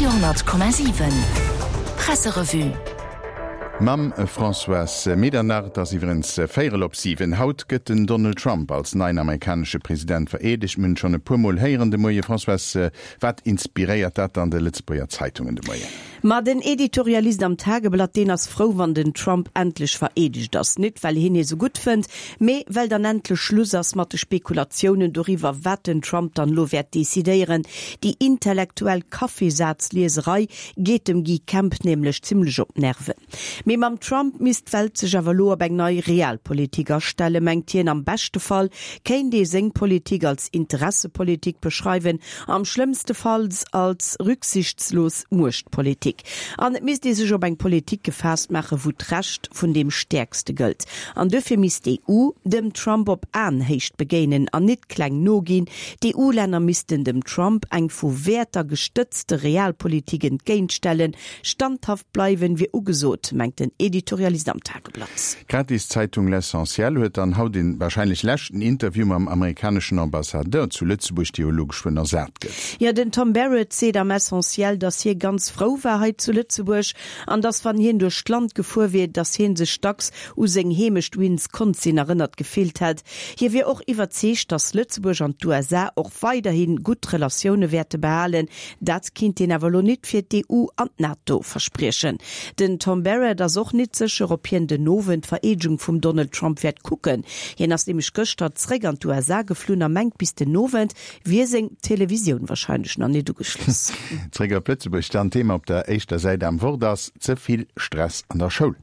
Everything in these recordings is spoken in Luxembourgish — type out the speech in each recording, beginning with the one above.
Radio 10,7 Presserevue. Mam Françoise Medernach. Et ass iwwerens véierel op 7. Haut gëtt den Donald Trump als neien amerikanesche President vereedegt. Mir hunn et schonn e puer Mol héieren de Moie. Françoise, wat inspiréiert dat dann de Lëtzebuerger Zeitungen de Moien? Ma den Editorialist am Tageblatt, deen ass frou, wann den Trump endlech vereedegt ass. Nit well hien hie sou gutt fënnt, mee well dann endlech Schluss ass mat de Spekulatiounen doriwwer, wat den Trump dann elo wäert decidéieren. Déi intellektuell Kaffeesazlieserei geet dem Guy Kemp nämlech zimmlech op d'Nerven. Mee mam Trump misst d'Welt sech awer elo op eng nei Realpolitik astellen, mengt hien. Am beschte Fall kéint ee seng Politik als Interessepolitik beschreiwen, am schlëmmste Falls als rücksichtslos Muechtpolitik. An et misst ee sech op eng Politik gefaasst maachen, wou d'Recht vun deem Stäerkste gëllt. An duerfir misst d'EU dem Trump op Aenhéicht begéinen an nit kleng noginn. D'EU-Länner missten dem Trump eng vu Wäerter gestëtzte Realpolitik entgéintstellen, Standhaft bleiwen wier ugesot, mengt den Editorialist am Tageblatt. D'Gratiszeitung L'Essentiel huet dann haut een wahrscheinlech leschten Interview mam amerikaneschen Ambassadeur zu Lëtzebuerg, dee jo elo geschwënn ersat gëtt. Jo, den Tom Barrett seet am Essentiel, datt hie ganz frou war hei zu Lëtzebuerg an datt wann hien duerch d'Land gefuer wier, datt hie sech dacks u seng Heemecht Winsconsin erënnert gefillt hätt. Hie wier och iwwerzeegt, datt Lëtzebuerg an d'USA och weiderhi gutt Relatioune wäerte behalen. Dat kinnt een awer elo nit fir d'EU an d'NATO verspriechen. Den Tom Barrett ass och nit sécher, ob hien den Owend d'Vereedegung vum Donald Trump wäert kucken. Hien ass nämlech gëschter zréck an d'USA geflunn a mengt, bis den Owend wier seng Televisioun warscheinlech nach nit ugeschloss. Zréck op Lëtzebuerg dann, Thema op der éischter Säit am Wort ass, Ze vill Stress an der Schoul.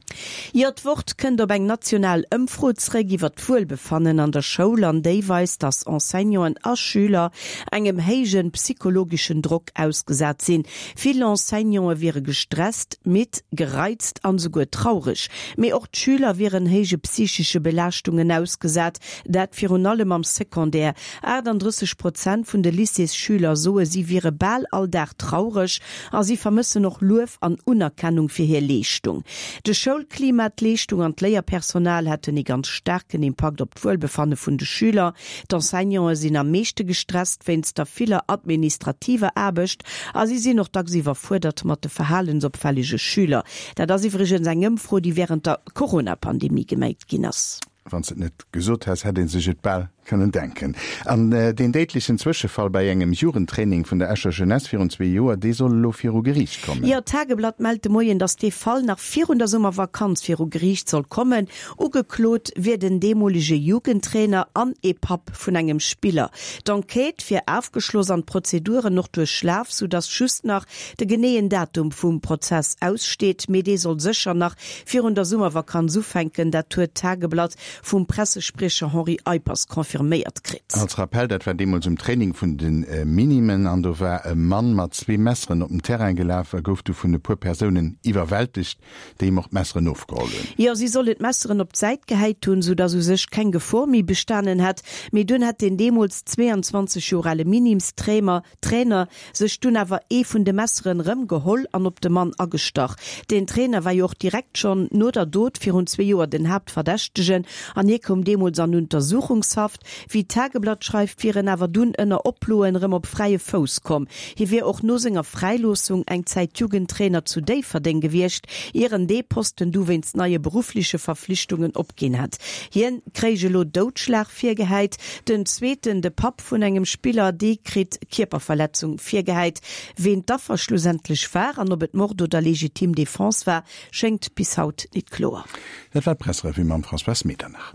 Jo, d'Wort kënnt op eng national Ëmfro zréck iwwer d'Wuelbefannen an der Schoul an déi weist, datt Enseignanten a Schüler engem héijen psychologeschen Drock ausgesat sinn. Vill Enseignante wiere gestresst, midd, gereizt an esouguer traureg. Mee och d'Schüler wieren héije psychesche Belaaschtungen ausgesat, dat virun allem am Secondaire. 38 Prozent vun de Lycéesschüler soe si wiere bal all Dag traureg a si vermëssen och Luef an Unerkennung fir hir Leeschtung. De Schoulklima, d'Leeschtung an d'Léierpersonal hätten ee ganz staarken Impakt op d'Wuelbefanne vun de Schüler. D'Enseignanten sinn am meeschte gestresst wéinst der viller administrativer Aarbecht a si sinn och dacks iwwerfuerdert mat de verhalensopfällege Schüler. Dat ass iwwregens eng Ëmfro, déi wärend der Corona-Pandemie geméit ginn ass. Wann s de et net gesot häss, hätt ee sech et bal kënnen denken. An deen déidlechen Zwëschefall bei engem Jugendtraining vun der Escher Jeunesse virun zwee Joer, dee soll elo viru Geriicht kommen. Jo, d'Tageblatt mellt de Moien, datt dee Fall nach virun der Summervakanz viru Geriicht soll kommen. Ugeklot wier den deemolege Jugendtrainer an ee Papp vun engem Spiller. D'Enquête wier afgeschloss an d'Prozeduren och duerchlaf, soudatt just nach de geneeën Datum vum Prozess aussteet. Mee dee soll sécher nach virun der Summervakanz ufänken. Dat huet d'Tageblatt vum Pressespriecher Henri Eippers confirméiert kritt. Als Rappell, dat war deemools um Training vun de Minimen an do war e Mann mat zwee Messeren op den Terrain gelaf a gouf du vun e puer Persounen iwwerwältegt, déi him och d'Messeren ofgeholl hunn. Jo, si sollen d'Messeren op d'Säit gehäit hunn, sou datt u sech keng Gefor méi bestanen hätt. Mee dunn hätt deen deemools 22 Joer ale Minimstrainer Trainer sech dunn awer ee vun de Messeren rëm geholl an op de Mann agestach. Den Trainer war jo och direkt schonn no der Dot virun zwee Joer den Haaptverdächtegen an hie koum deemools an Untersuchungshaft. Wéi d'Tageblatt schreift, wier en awer dunn ënner Oploen rëm op fräie Fouss komm. Hie wier och no senger Fräiloossung eng Zäit Jugendtrainer zu Déifferdeng gewiescht, ier en dee Posten du wéinst neie beruffleche Verflichtungen opginn hätt. Hien kréich elo Doudschlag virgehäit. Den zweeten, de Papp vun engem Spiller, dee kritt Kierperverletzung virgehäit. Ween d'Affer schlussendlech war an ob et Mord oder legitim Defense war, schéngt bis haut nit kloer. Dat war d'Pressrevue mam Françoise Medernach.